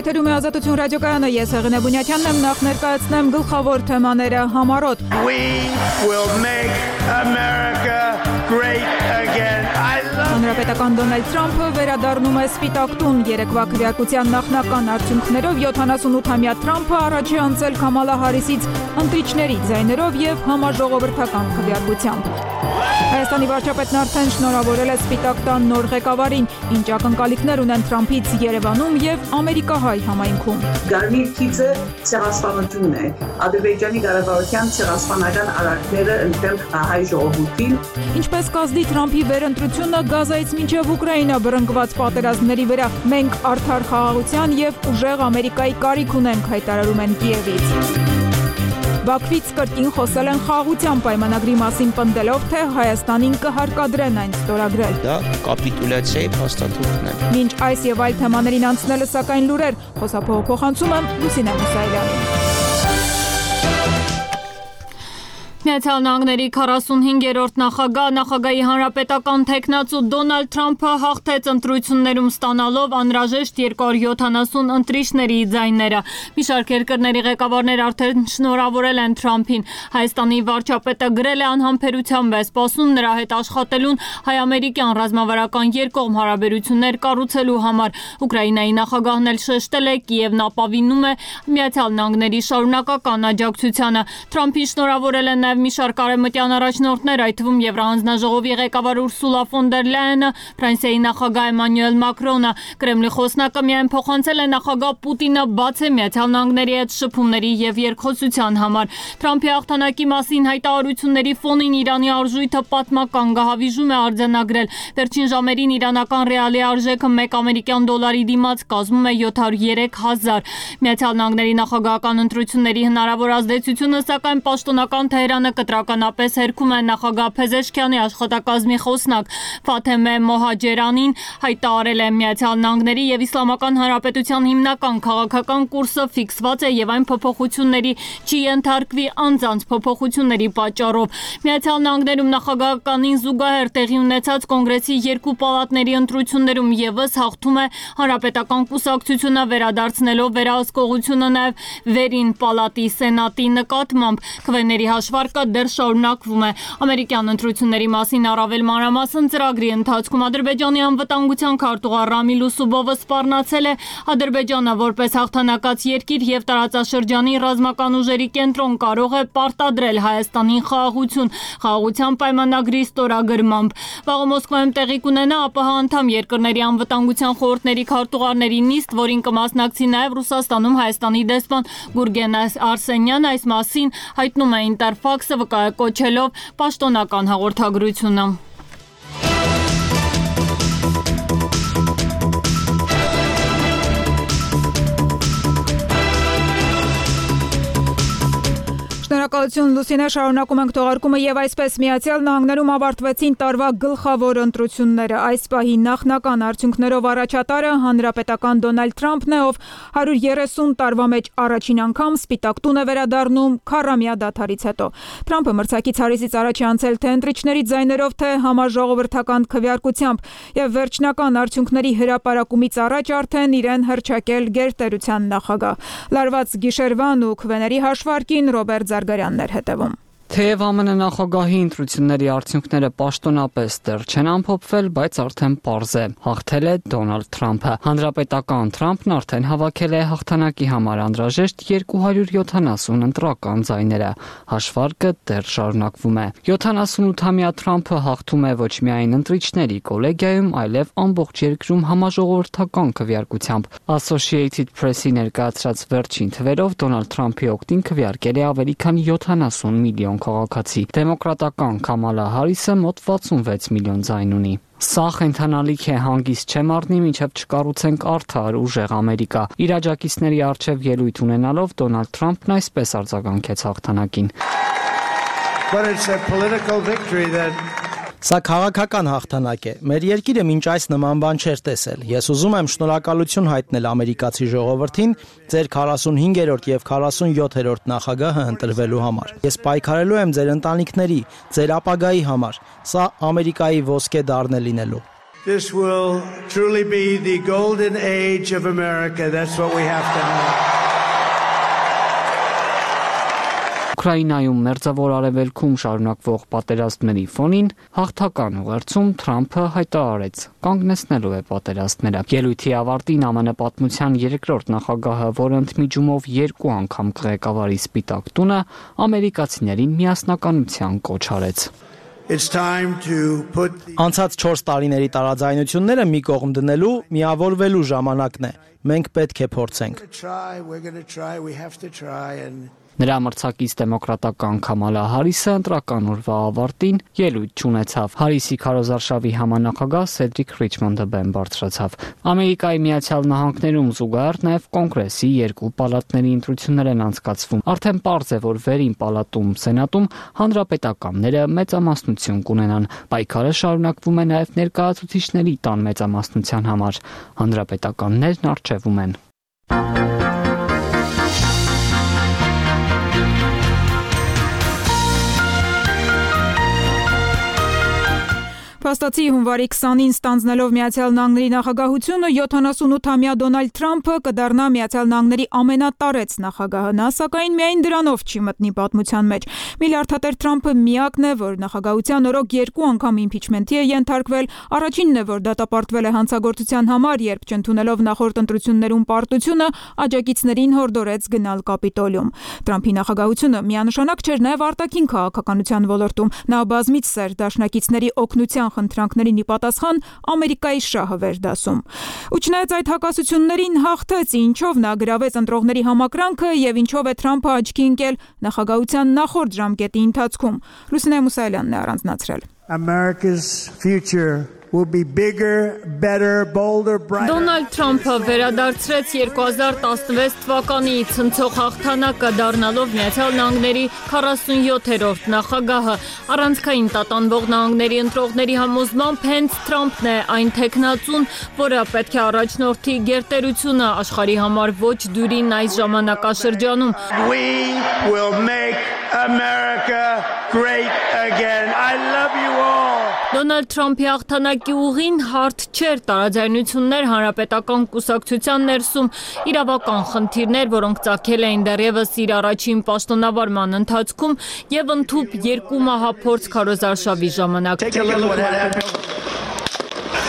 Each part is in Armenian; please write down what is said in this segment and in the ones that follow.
Եթերում է Ազատություն ռադիոկայանը, ես Հեղինե Բունյաթյանն եմ, նախ ներկայացնեմ գլխավոր թեմաները համառոտ։ We will make America great again. Հանրապետական Դոնալդ Թրամփը վերադառնում է Սպիտակ տուն, երեկվա քվեարկության նախնական արդյունքներով 78-ամյա Թրամփը առաջ է անցել Քամալա Հարիսից ընտրիչների ձայներով եւ համաժողովրդական քվեարկությամբ։ Հայաստանի վարչապետն արդեն շնորհավորել է Սպիտակ տան նոր ղեկավարին, ինչ ակնկալիքներ ունեն Թրամփից Երևանում եւ ամերիկահայ համայնքում։ Գարմիր քիծը ցեղասպանությունն է։ Ադրբեջանի կառավարության ցեղասպանական արարքները ընդդեմ հայ ժողովրդին։ Ինչպես կազդի Թրամփի վերընտրությունը Գազայից մինչև Ուկրաինա բռնկված պատերազմների վրա, մենք արդար խաղաղության եւ ուժեղ Ամերիկայի կարիք ունենք, հայտարարում են Կիևից։ Բաքվից կրկին խոսել են խաղաղության պայմանագրի մասին պնդելով, թե Հայաստանին կհարկադրեն այն ստորագրել։ Դա կապիտուլյացիայի փաստաթուղթն է։ Մինչ այս եւ այլ թեմաներին անցնելը սակայն լուրեր, խոսափողոցում եմ Լուսինե Մուսայելյանին։ Միացյալ Նահանգների 45-րդ նախագահի հանրապետական թեկնածու Դոնալդ Թրամփը հաղթեց ընտրություններում ստանալով անհրաժեշտ 270 ընտրիչների ձայները։ Մի շարք երկրների ղեկավարներ արդեն շնորհավորել են Թրամփին։ Հայաստանի վարչապետը գրել է անհամբերությամբ է սպասում նրա հետ աշխատելուն հայ-ամերիկյան ռազմավարական երկկողմ հարաբերություններ կառուցելու համար։ Ուկրաինայի նախագահն էլ շեշտել է, Կիևն ապավինում է Միացյալ Նահանգների շարունակական աջակցությանը։ Թրամփին շնորհավորել են մի շարք արևմտյան առաջնորդներ, այդ թվում Եվրահանձնաժողովի ղեկավար Ուրսուլա ֆոն դեր Լայենը, Ֆրանսիայի նախագահ Էմանուել Մակրոնը, Կրեմլի խոսնակը միայն փոխանցել է նախագահ Պուտինը բաց է Միացյալ Նահանգների հետ շփումների եւ երկխոսության համար։ Թրամփի հաղթանակի մասին հայտարարությունների ֆոնին Իրանի արժույթը պատմական գահավիժում է արձանագրել։ Վերջին ժամերին իրանական ռեալի արժեքը 1 ամերիկյան դոլարի դիմաց կազմում է 703,000։ Միացյալ Նահանգների նախագահական ընտրությունների հնարավոր ազդեցությունը սակայն պաշտոնական Թեհրանը կտրականապես հերքում է նախագահ Փեզեշքյանի աշխատակազմի խոսնակ Ֆաթեմե Մոհաջերանին հայտարարել է Միացյալ Նահանգների եւ Իսլամական Հանրապետության հիմնական քաղաքական կուրսը ֆիքսված է եւ այն փոփոխությունների չի ենթարկվի անձանց փոփոխությունների պատճառով։ Միացյալ Նահանգներում նախագահականին զուգահեռ տեղի ունեցած կոնգրեսի երկու պալատների ընտրություններում եւս հաղթում է հանրապետական կուսակցությունը վերադարձնելով վերահսկողությունը նաեւ վերին պալատի սենատի նկատմամբ։ Քվեների հաշվարկը դեռ շարունակվում է։ Ամերիկյան ընտրությունների մասին առավել մանրամասն ծրագրի ընթացքում Ադրբեջանի անվտանգության քարտուղար Ռամիլ Ուսուբովը սպառնացել է Ադրբեջանը որպես հաղթանակած երկիր եւ տարածաշրջանի ռազմական ուժերի կենտրոն կարող է պարտադրել Հայաստանին խաղաղության պայմանագրի ստորագրմամբ։ Վաղը Մոսկվայում տեղի կունենա ԱՊՀ անդամ երկրների անվտանգության խորհուրդների քարտուղարների նիստ, որին կմասնակցի նաեւ Ռուսաստանում Հայաստանի դեսպան Գուրգեն Արսենյանը, այս մասին հայտնում է Ինտերֆաքսը վկայակոչելով պաշտոնական հաղորդագրությունը։ Շնորհակալություն Լուսինե, շարունակում ենք թողարկումը եւ այսպես Միացյալ Նահանգներում ավարտվեցին տարվա գլխավոր ընտրությունները։ Այս պահի նախնական արդյունքներով առաջատարը հանրապետական Դոնալդ Թրամփն է, ով 130 տարվա մեջ առաջին անգամ Սպիտակ տուն է վերադառնում քառամյա դադարից հետո։ Թրամփը մրցակից Հարիսից առաջ է անցել թե ընտրիչների ձայներով, թե համաժողովրդական քվեարկությամբ եւ վերջնական արդյունքների հրապարակումից առաջ արդեն իրեն հռչակել գերտերության նախագահ։ Լարված գիշերվան ու քվեների հաշվարկին Ռոբերտ Զարգարյանն էր հետևում։ Թեև ԱՄՆ նախագահի ընտրությունների արդյունքները պաշտոնապես դեռ չեն ամփոփվել, բայց արդեն պարզ է, հաղթել է Դոնալդ Թրամփը։ Հանրապետական Թրամփն արդեն հավաքել է հաղթանակի համար անհրաժեշտ 270 ընտրական ձայները։ Հաշվարկը դեռ շարունակվում է։ 78-ամյա Թրամփը հաղթում է ոչ միայն ընտրիչների կոլեգիայում, այլև ամբողջ երկրում համաժողովրդական քվեարկությամբ։ Associated Press-ի ներկայացրած վերջին թվերով Դոնալդ Թրամփի օգտին քվեարկել է ավելի քան 70 միլիոն քաղաքացի։ Դեմոկրատական Քամալա Հարիսը մոտ 66 միլիոն ձայն ունի։ Սա խենթանալիք է, հանգիստ չեմ առնի, մինչև չկառուցենք արդար ուժեղ Ամերիկա։ Իր աջակիցների առջև ելույթ ունենալով Դոնալդ Թրամփն այսպես արձագանքեց հաղթանակին։ Սա քաղաքական հաղթանակ է։ Մեր երկիրը մինչ այս նման բան չէր տեսել։ Ես ուզում եմ շնորհակալություն հայտնել ամերիկացի ժողովրդին ձեր 45-րդ եւ 47-րդ նախագահը ընտրվելու համար։ Ես պայքարելու եմ ձեր ընտանիքների, ձեր ապագայի համար։ Սա Ամերիկայի ոսկե դառն է լինելու։ This will truly be the golden age of America. That's what we have to know. Ուկրաինայում մերձավոր արևելքում շարունակվող պատերազմների ֆոնին հաղթական ուղերձում Թրամփը հայտարարեց կանգնեցնելու է պատերազմները։ Ելույթի ավարտին ԱՄՆ պատմության երկրորդ նախագահը, որը ընդմիջումով 2 անգամ կղեկավարի Սպիտակ տունը, ամերիկացիներին միասնականության կոչ արեց։ Անցած 4 տարիների տարաձայնությունները մի կողմ դնելու, միավորվելու ժամանակն է։ Մենք պետք է փորձենք։ Նրա մրցակից դեմոկրատական Քամալա Հարիսը ընտրական օրվա ավարտին ելույթ չունեցավ։ Հարիսի քարոզարշավի համանախագահ Սեդրիկ Ռիչմոնդը բեմ բարձրացավ։ Ամերիկայի Միացյալ Նահանգներում զուգահեռ նաև կոնգրեսի 2 պալատների ընտրություններ են անցկացվում։ Արդեն պարզ է, որ վերին պալատում Սենատում հանրապետականները մեծամասնություն կունենան։ Պայքարը շարունակվում է նաև ներկայացուցիչների տան մեծամասնության համար։ Հանրապետականներն առջևում են։ Փաստացի հունվարի 20-ին ստանձնելով Միացյալ Նահանգների նախագահությունը 78-ամյա Դոնալդ Թրամփը կդառնա Միացյալ Նահանգների ամենատարեց նախագահը, նա սակայն միայն դրանով չի մտնի պատմության մեջ։ Միլիարդատեր Թրամփը միակն է, որ նախագահության օրոք 2 անգամ իմպիչմենթի է ենթարկվել, առաջինն է, որ դատապարտվել է հանցագործության համար, երբ չընդունելով նախորդ ընտրություններում պարտությունը, աջակիցներին հորդորեց գնալ Կապիտոլիում։ Թրամփի նախագահությունը միանշանակ չէր նաև արտաքին քաղաքականության ոլորտում, նա բազմիցս էր դաշնակիցների օգնության խնդրանքներին ի պատասխան Ամերիկայի շահը վերդասում։ Ու չնայած այդ հակասություններին հաղթեց, ինչով նա գրավեց ընտրողների համակրանքը եւ ինչով է Թրամփը աչքի ընկել նախագահության նախորդ ժամկետի ընթացքում։ Լուսինե Մուսայելյանն է առանձնացրել։ America's future will be bigger, better, bolder, brighter. Դոնալդ Թրամփը վերադարձրեց 2016 թվականի ցնցող հաղթանակը, դառնալով Միացյալ Նահանգների 47-րդ նախագահը։ Առանցքային տատանվող նահանգների ընտրողների համոզմամբ հենց Թրամփն է այն տեխնացուն, որը պետք է առաջնորդի գերտերությունը աշխարհի համար ոչ դյուրին այս ժամանակաշրջանում։ We will make America great again. I love you all. Դոնալդ Թրամփի հաղթանակի ուղին հարթ չէր, տարաձայնություններ հանրապետական կուսակցության ներսում, իրավական խնդիրներ, որոնք ծագել էին դեռևս իր առաջին պաշտոնավարման ընթացքում եւ ընդհուպ 2 մահափորձ քարոզարշավի ժամանակ։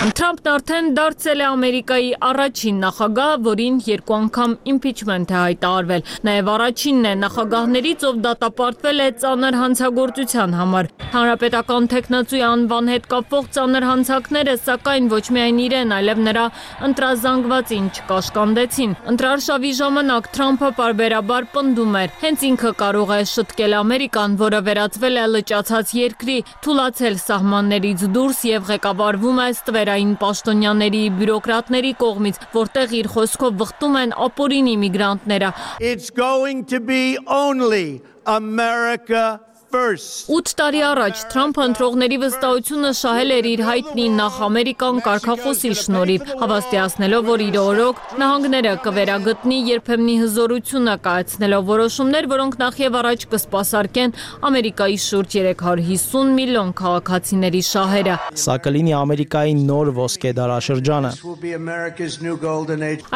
Թրամփն արդեն դարձել է Ամերիկայի առաջին նախագահը, որին 2 անգամ իմպիչմենթ է հայտարարվել։ Նաև առաջինն է նախագահներից, ով դատապարտվել է ծանր հանցագործության համար։ Հանրապետական տեխնացուի անվան հետ կապվող ծանր հանցանքները, սակայն ոչ միայն իրեն, այլև նրա ընտրազանգվածին չկաշկանդեցին։ Ընտրարշավի ժամանակ Թրամփը պարբերաբար պնդում էր, հենց ինքը կարող է շտկել Ամերիկան, որը վերածվել է լճացած երկրի, թուլացել սահմաններից դուրս եւ ղեկավարվում է ստվերային պաշտոնյաների, բյուրոկրատների կողմից, որտեղ իր խոսքով վխտում են ապօրինի միգրանտները։ It's going to be only America first. 8 տարի առաջ Թրամփը ընտրողների վստահությունը շահել էր իր հայտնի նախ ամերիկան կարգախոսի շնորհիվ, հավաստիացնելով, որ իր օրոք նահանգները կվերագտնի երբեմնի հզորությունը, կայացնելով որոշումներ, որոնք նախ եւ առաջ կսպասարկեն Ամերիկայի շուրջ 350 միլիոն քաղաքացիների շահերը։ Սա կլինի Ամերիկայի նոր ոսկե դարաշրջանը։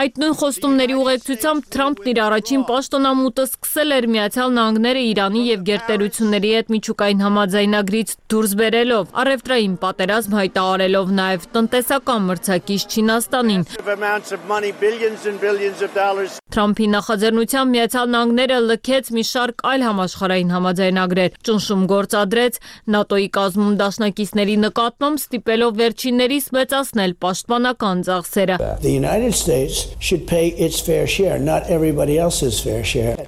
Այդ նույն խոստումների ուղեկցությամբ Թրամփն իր առաջին պաշտոնամուտը սկսել էր Միացյալ Նահանգները Իրանի եւ գերտերությունների հետ միջուկային համաձայնագրից դուրս բերելով, առևտրային պատերազմ հայտարարելով նաև տնտեսական մրցակից Չինաստանին։ Թրամփի նախաձեռնությամբ Միացյալ Նահանգները լքեց մի շարք այլ համաշխարհային համաձայնագրեր, ճնշում գործադրեց ՆԱՏՕ-ի կազմում դաշնակիցների նկատմամբ, ստիպելով վերջիններիս մեծացնել պաշտպանական ծախսերը։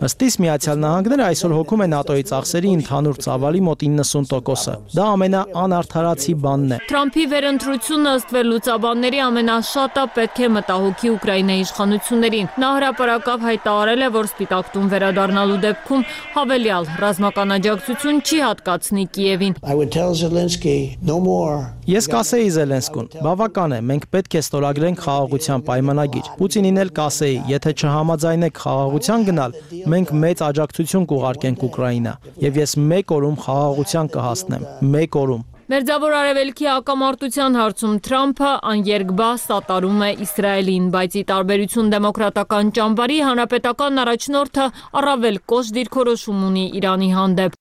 Ըստիս Միացյալ Նահանգները այսօր հոգում է ՆԱՏՕ-ի ծախսերի ընդհանուր ծավալի մոտ 90%-ը։ Դա ամենաանարդարացի բանն է։ Թրամփի վերընտրությունը ըստ վերլուծաբանների ամենաշատը պետք է մտահոգի Ուկրաինայի իշխանություններին։ Նա հրապարակավ հայտարարել է, որ Սպիտակ տուն վերադառնալու դեպքում հավելյալ ռազմական աջակցություն չի հատկացնի Կիևին։ Ես կասեի Զելենսկուն, բավական է, մենք պետք է ստորագրենք խաղաղության պայմանագիր։ Պուտինին էլ կասեի, եթե չհամաձայնեք խաղաղության գնալ, մենք մեծ աջակցություն կուղարկենք Ուկրաինա, եւ ես 1 օրում խաղաղության կհասնեմ, 1 օրում։ Մերձավոր Արևելքի հակամարտության հարցում Թրամփը աներկբա սատարում է Իսրայելին, բայց ի տարբերություն դեմոկրատական ճամբարի հանրապետական առաջնորդը առավել կոշտ դիրքորոշում ունի Իրանի հանդեպ։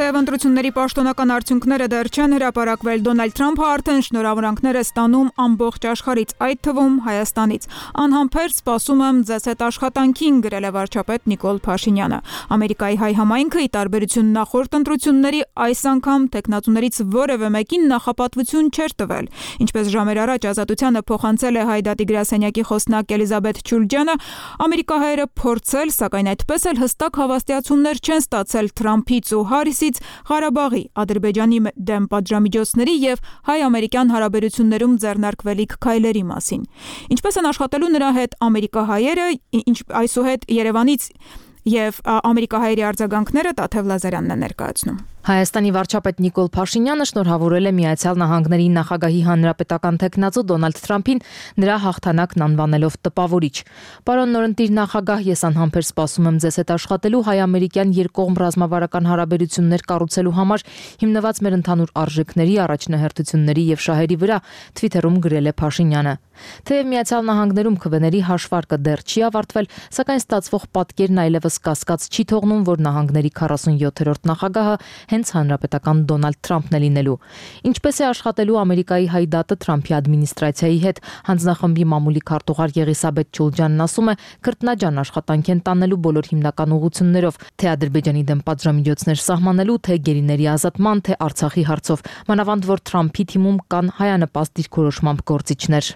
Թեև ընտրությունների պաշտոնական արդյունքները դեռ չեն հրապարակվել, Դոնալդ Թրամփը արդեն շնորհավորանքներ է ստանում ամբողջ աշխարհից, այդ թվում Հայաստանից։ Անհամբեր սպասում եմ ձեզ հետ աշխատանքին, գրել է վարչապետ Նիկոլ Փաշինյանը։ Ամերիկայի հայ համայնքը ի տարբերություն նախորդ ընտրությունների այս անգամ տեխնացուներից որևէ մեկին նախապատվություն չէր տվել։ Ինչպես ժամեր առաջ Ազատությանը փոխանցել է Հայ դատի գրասենյակի խոսնակ Էլիզաբեթ Չուլջյանը, ամերիկահայերը փորձել, սակայն այդպես էլ հստակ հավաստիացումներ չեն ստացել Թրամփից ու Հարիսից Ղարաբաղի, Ադրբեջանի դեմ պատժամիջոցների եւ հայ-ամերիկյան հարաբերություններում ձեռնարկվելիք քայլերի մասին։ Ինչպես են աշխատելու նրա հետ ամերիկահայերը, այսուհետ Երևանից եւ ամերիկահայերի արձագանքները Տաթև Լազարյանն է ներկայացնում։ Հայաստանի վարչապետ Նիկոլ Փաշինյանը շնորհավորել է Միացյալ Նահանգների նախագահի հանրապետական տեխնացու Դոնալդ Թրամփին նրա հաղթանակն անվանելով տպավորիչ։ Պարոն նորընտիր նախագահ, ես անհամբեր սպասում եմ ձեզ հետ աշխատելու հայ-ամերիկյան երկկողմ ռազմավարական հարաբերություններ կառուցելու համար հիմնված մեր ընդհանուր արժեքների, առաջնահերթությունների եւ շահերի վրա, Twitter-ում գրել է Փաշինյանը։ Թեև Միացյալ Նահանգներում քվեների հաշվարկը դեռ չի ավարտվել, սակայն ստացվող պատկերն այլևս կասկած չի թողնում, որ նահանգների 47-րդ նախագահը հենց հանրապետական Դոնալդ Թրամփն է լինելու։ Ինչպես է աշխատելու Ամերիկայի հայ դատը Թրամփի ադմինիստրացիայի հետ, հանձնախմբի մամուլի քարտուղար Եղիսաբեթ Չուլջյանն ասում է, քրտնաջան աշխատանք են տանելու բոլոր հիմնական ուղղություններով, թե Ադրբեջանի դեմ պատժամիջոցներ սահմանելու, թե գերիների ազատման, թե Արցախի հարցով, մանավանդ որ Թրամփի թիմում կան հայանպաստ դիրքորոշմամբ գործիչներ։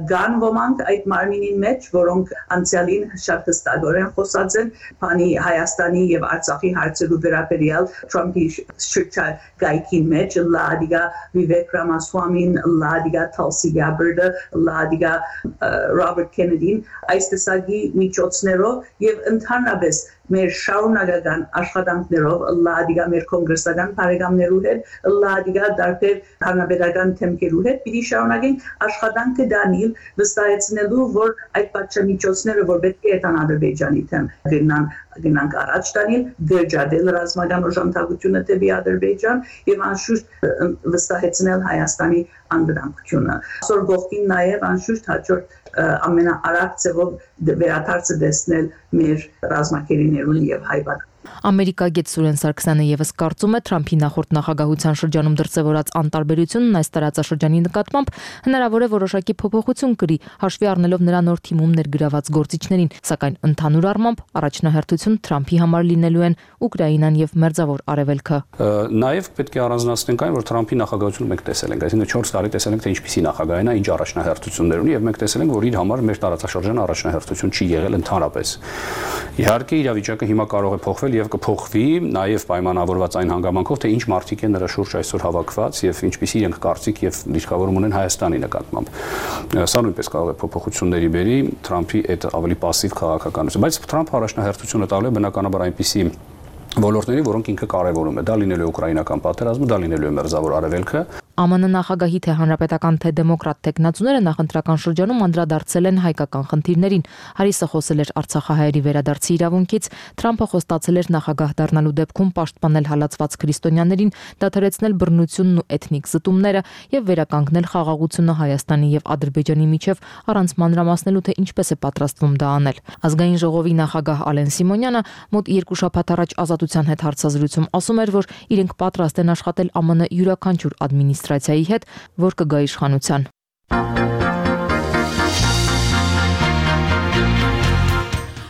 Կան ոմանք այդ մարմինին մեջ, որոնք անցյալին շատ հստակորեն խոսած են բանի Հայաստանի եւ Արցախի հարցերու վերաբերյալ Թրամփի շրջագայքի մեջ, լադիգա Վիվեկ Ռամասվամին, լադիգա Թալսի Գաբարդը, լադիգա Ռոբերտ Քենեդին, այս տեսակի միջոցներով եւ ընդհանրապես մեր շարունակական աշխատանքներով լադիգա մեր կոնգրեսական բարեկամներու հետ, լադիգա դարբեր հանրապետական թեմքերու հետ պիտի շարունակենք աշխատանքը դանել վստահեցնելու, որ այդ պատժամիջոցները, որ պետք է տան Ադրբեջանի թեմ գնանք առաջ տանել, դերջադել ռազմական օժանդակությունը դեպի Ադրբեջան եւ անշուշտ վստահեցնել Հայաստանի անդրադարձությունը։ Այսօր գողքին նաեւ անշուշտ հաջորդ ամենաարագ ձևով վերադարձը դեսնել մեր ռազմակերիներուն եւ հայ Ամերիկագետ Սուրեն Սարգսյանը եւս կարծում է Թրամփի նախորդ նախագահության շրջանում դրսևորած անտարբերությունն այս տարածաշրջանի նկատմամբ հնարավոր է որոշակի փոփոխություն կրի, հաշվի առնելով նրա նոր թիմում ներգրաված գործիչներին, սակայն ընդհանուր առմամբ առաջնահերթություն Թրամփի համար լինելու են Ուկրաինան եւ Մերձավոր Արևելքը։ Նաեւ պետք է առանձնացնենք այն, որ Թրամփի նախագահությունը մենք տեսել ենք, այսինքն 4 տարի տեսել ենք, թե ինչպիսի նախագահ է, ինչ առաջնահերթություններ ունի եւ մենք տեսել ենք, որ իր համար մեր տարածաշրջանը առաջնահերթություն չի եղել ընդհանրապես։ Իհարկե իրավիճակը հիմա կարող է փոխվել եւ կփոխվի նաեւ պայմանավորված այն հանգամանքով, թե ինչ մարդիկ են նրա շուրջ այսօր հավաքված եւ ինչպիսի իրենք կարծիք եւ դիրքավորում ունեն Հայաստանի նկատմամբ։ Սա նույնպես կարող է փոփոխությունների բերի Թրամփի այդ ավելի пассив քաղաքականություն, բայց Թրամփը առաջնահերթությունը տալու է բնականաբար այնպիսի ոլորտների, որոնք ինքը կարևորում է։ Դա լինելու է ուկրաինական պատերազմը, դա լինելու է Մերձավոր Արևելքը։ ԱՄՆ նախագահի թե հանրապետական թե դեմոկրատ տեխնացուները նախընտրական շրջանում անդրադարձել են հայկական խնդիրներին։ Հարիսը խոսել էր Արցախահայերի վերադարձի իրավունքից, Թրամփը խոստացել էր նախագահ դառնալու դեպքում պաշտպանել հալածված քրիստոնյաներին, դադարեցնել բռնությունն ու էթնիկ զտումները եւ վերականգնել խաղաղությունը Հայաստանի եւ Ադրբեջանի միջև առանց մանրամասնելու, թե ինչպես է պատրաստվում դա անել։ Ազգային ժողովի նախագահ Ալեն Սիմոնյանը մոտ 2 շաբաթ առաջ Ազատության հետ հարցազրույցում ասում էր, որ իրենք պատրաստ են աշխատել ԱՄՆ յուրաքանչյուր ադմինիստրացիայի հետ, որ կգա իշխանության։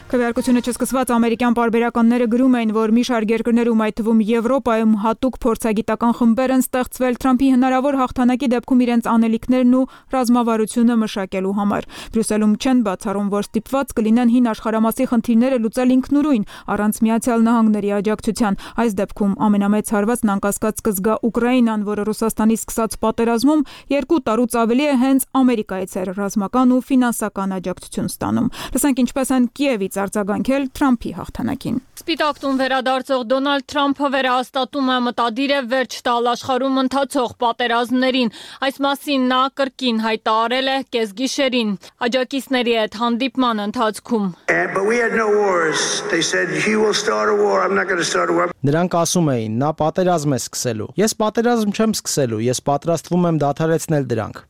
Քվեարկությունը չսկսված ամերիկյան պարբերականները գրում էին, որ մի շարք երկրներում, այդ թվում Եվրոպայում, հատուկ փորձագիտական խմբեր են ստեղծվել Թրամփի հնարավոր հաղթանակի դեպքում իրենց անելիքներն ու ռազմավարությունը մշակելու համար։ Բրյուսելում չեն բացառում, որ ստիպված կլինեն հին աշխարհամասի խնդիրները լուծել ինքնուրույն, առանց Միացյալ Նահանգների աջակցության։ Այս դեպքում ամենամեծ հարվածն անկասկած կզգա Ուկրաինան, որը Ռուսաստանի սկսած պատերազմում 2 տարուց ավելի է հենց Ամերիկայից էր ռազմական ու ֆինանսական աջակցություն ստանում։ Լսենք ինչպես են Կիևից արձագանքել Թրամփի հաղթանակին։ Սպիտակ տուն վերադարձող Դոնալդ Թրամփը վերահաստատում է մտադիր է վերջ տալ աշխարհում ընթացող պատերազմներին։ Այս մասին նա կրկին հայտարարել է կեսգիշերին աջակիցների հետ հանդիպման ընթացքում։ Նրանք ասում էին, նա պատերազմ է սկսելու։ Ես պատերազմ չեմ սկսելու, ես պատրաստվում եմ դադարեցնել դրանք։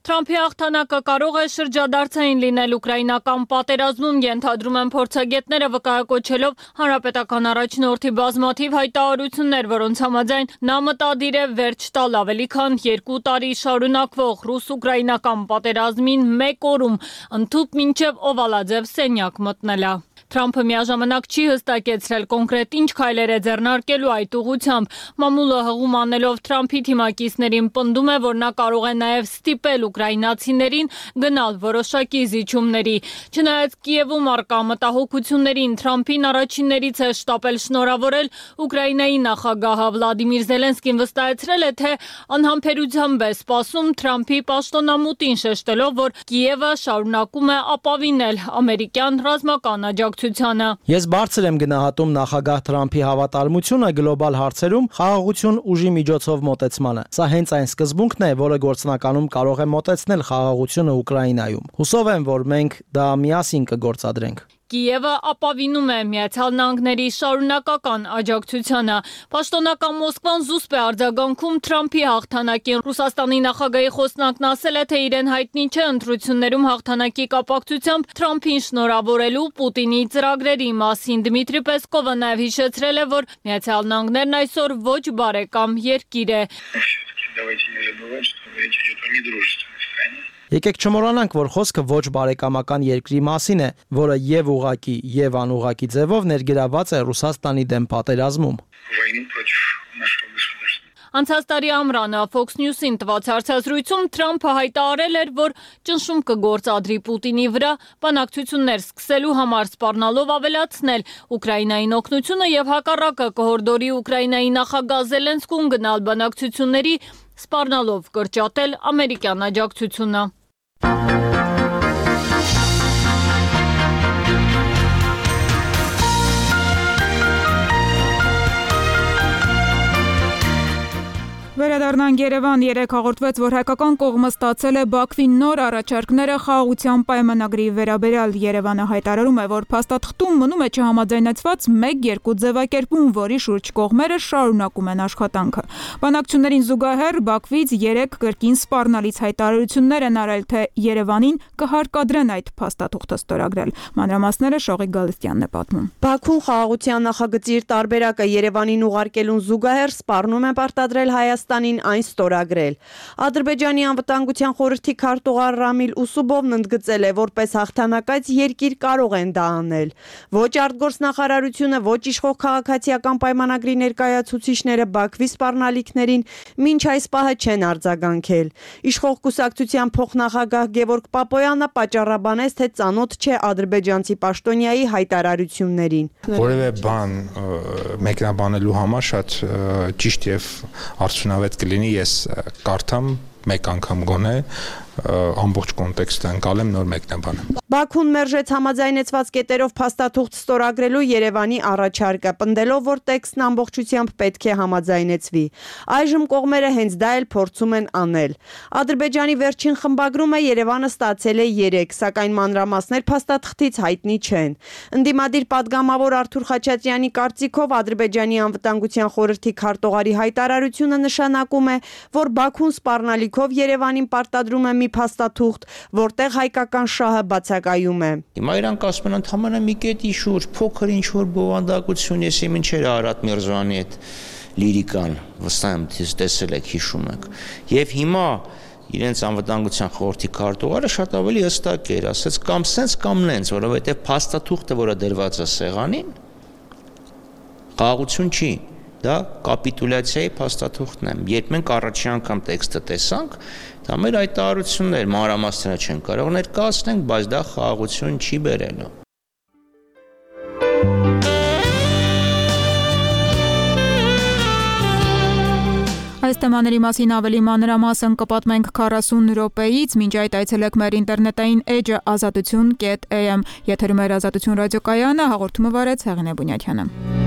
Թրամփի հաղթանակը կարող է շրջադարձային լինել ուկրաինական պատերազմում, ենթադրում են փորձագետները, վկայակոչելով հանրապետական առաջնորդի բազմաթիվ հայտարարություններ, որոնց համաձայն նա մտադիր է վերջ տալ ավելի քան 2 տարի շարունակվող ռուս-ուկրաինական պատերազմին 1 օրում, ընդհուպ մինչև օվալաձև սենյակ մտնելը։ Թրամփը միաժամանակ չի հստակեցրել կոնկրետ ինչ քայլեր է ձեռնարկելու այդ ուղղությամբ։ Մամուլը հղում անելով Թրամփի թիմակիցներին պնդում է, որ նա կարող է նաև ստիպել ուկրաինացիներին գնալ որոշակի զիջումների։ Չնայած Կիևում առկա մտահոգություններին, Թրամփին առաջիններից է շտապել շնորհավորել Ուկրաինայի նախագահը Վլադիմիր Զելենսկին վստահեցրել է, թե անհամբերությամբ է սպասում Թրամփի պաշտոնամուտին, շեշտելով, որ Կիևը շարունակում է ապավինել ամերիկյան ռազմական աջակցությանը։ Ես բարձր եմ գնահատում նախագահ Թրամփի հավատարմությունը գլոբալ հարցերում խաղաղություն ուժի միջոցով մոտեցմանը։ Սա հենց այն սկզբունքն է, որը գործնականում կարող է մոտեցնել խաղաղությունը Ուկրաինայում։ Հուսով եմ, որ մենք դա միասին կգործադրենք։ Կիևը ապավինում է Միացյալ Նահանգների շարունակական աջակցությանը։ Պաշտոնական Մոսկվան զուսպ է արձագանքում Թրամփի հաղթանակին։ Ռուսաստանի նախագահի խոսնակն ասել է, թե իրեն հայտնի չէ ընտրություններում հաղթանակի կապակցությամբ Թրամփին շնորհավորելու Պուտինի ծրագրերի մասին։ Դմիտրի Պեսկովը նաև հիշեցրել է, որ Միացյալ Նահանգներն այսօր ոչ բարեկամ երկիր է։ Եկեք չմոռանանք, որ խոսքը ոչ բարեկամական երկրի մասին է, որը եւ ուղղակի, եւ անուղղակի ձևով ներգրաված է Ռուսաստանի դեմ պատերազմում։ Անցած տարի ամռանը Fox News-ին տված հարցազրույցում Թրամփը հայտարարել էր, որ ճնշում կգործադրի Պուտինի վրա բանակցություններ սկսելու համար, սպառնալով ավելացնել Ուկրաինային օգնությունը եւ հակառակը կհորդորի Ուկրաինայի նախագահ Զելենսկուն գնալ բանակցությունների, սպառնալով կրճատել ամերիկյան աջակցությունը։ Վերադառնանք Երևան, երեկ հաղորդվեց, որ հայկական կողմը ստացել է Բաքվի նոր առաջարկները խաղաղության պայմանագրի վերաբերյալ։ Երևանը հայտարարում է, որ փաստաթղթում մնում է չհամաձայնեցված 1-2 ձևակերպում, որի շուրջ կողմերը շարունակում են աշխատանքը։ Բանակցություններին զուգահեռ Բաքվից 3 կրկին սպառնալից հայտարարություններ են արել, թե Երևանին կհարկադրեն այդ փաստաթուղթը ստորագրել։ Մանրամասները Շողիկ Գալստյանն է պատմում։ Բաքուն խաղաղության նախագծի իր տարբերակը Երևանին ուղարկելուն զուգահեռ սպառնում է պարտադրել Հայաստանին այն ստորագրել։ Ադրբեջանի անվտանգության խորհրդի քարտուղար Ռամիլ Ուսուբովն ընդգծել է, որպես հաղթանակած երկիր կարող են դա անել։ Ոչ արտգործնախարարությունը, ոչ իշխող քաղաքացիական պայմանագրի ներկայացուցիչները Բաքվի սպառնալիքներին մինչ այս պահը չեն արձագանքել։ Իշխող կուսակցության փոխնախագահ Գևորգ Պապոյանը պատճառաբանեց, թե ծանոթ չէ ադրբեջանցի պաշտոնյայի հայտարարություններին։ Որևէ բան մեկնաբանելու համար շատ ճիշտ եւ արդյունավետ կլինի ես կարդամ մեկ անգամ գոնե ամբողջ կոնտեքստը ընկալեմ նոր մեկնաբանը։ Բաքուն մերժեց համաձայնեցված կետերով փաստաթուղթ ստորագրելու Երևանի առաջարկը, պնդելով, որ տեքստն ամբողջությամբ պետք է համաձայնեցվի։ Այժմ կողմերը հենց դա էլ փորձում են անել։ Ադրբեջանի վերջին խմբագրումը Երևանը ստացել է 3, սակայն մանրամասներ փաստաթղթից հայտնի չեն։ Ընդդիմադիր падգամավոր Արթուր Խաչատրյանի կարծիքով Ադրբեջանի անվտանգության խորհրդի քարտուղարի հայտարարությունը նշանակում է, որ Բաքուն սպառնալիքով Երևանին պարտադրում է մի փաստաթուղթ, որտեղ հայկական շահը բացակայում է։ Հիմա իրանք ասում են ընդհանրապես մի կետի շուրջ փոքր ինչ որ բովանդակություն, ես մինչեր Արարատ Միրզոյանի այդ լիրիկան վստահ եմ տեսել եք, հիշում եք։ Եվ հիմա իրենց անվտանգության խորհրդի քարտուղարը շատ ավելի հստակ էր, ասաց կամ սենց կամ նենց, որովհետև փաստաթուղթը, որը դրված է սեղանին, խաղաղություն չի։ Դա կապիտուլյացիայի փաստաթուղթն է։ Երբ մենք առաջին անգամ տեքստը տեսանք, դա մեր հայտարարություններ մանրամասները չեն կարող ներկայացնենք, բայց դա խաղաղություն չի բերելու։ Այս թեմաների մասին ավելի մանրամասն կպատմենք 40 րոպեից, մինչ այդ այցելեք մեր ինտերնետային էջը azatutun.am։ Եթերում է Ազատություն ռադիոկայանը, հաղորդումը վարեց Հեղինե Բունյաթյանը։